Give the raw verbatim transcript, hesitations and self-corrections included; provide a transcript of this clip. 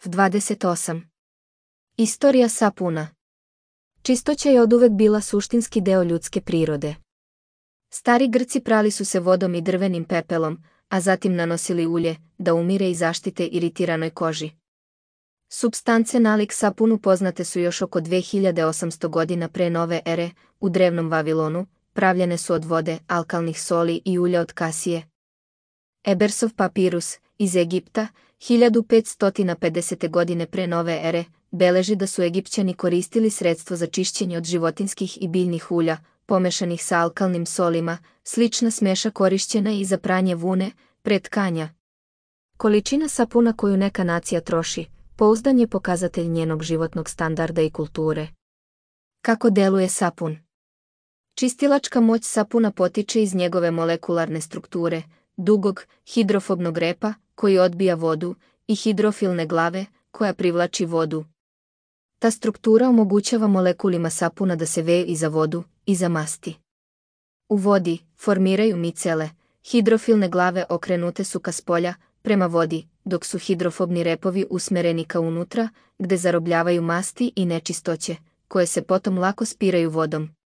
dvadeset osam. Istorija sapuna. Čistoća je oduvek bila suštinski deo ljudske prirode. Stari Grci prali su se vodom i drvenim pepelom, a zatim nanosili ulje, da umire i zaštite iritiranoj koži. Supstance nalik sapunu poznate su još oko dve hiljade osamsto godina pre nove ere, u drevnom Vavilonu, pravljene su od vode, alkalnih soli i ulja od kasije. Ebersov papirus, iz Egipta, hiljadu petsto pedesete. godine pre nove ere, beleži da su Egipćani koristili sredstvo za čišćenje od životinskih i biljnih ulja, pomešanih sa alkalnim solima, slična smeša korišćena i za pranje vune, pre tkanja. Količina sapuna koju neka nacija troši, pouzdan je pokazatelj njenog životnog standarda i kulture. Kako deluje sapun? Čistilačka moć sapuna potiče iz njegove molekularne strukture, dugog, hidrofobnog repa, koji odbija vodu, i hidrofilne glave, koja privlači vodu. Ta struktura omogućava molekulima sapuna da se veju i za vodu, i za masti. U vodi formiraju micele, hidrofilne glave okrenute su ka spolja, prema vodi, dok su hidrofobni repovi usmereni ka unutra, gde zarobljavaju masti i nečistoće, koje se potom lako spiraju vodom.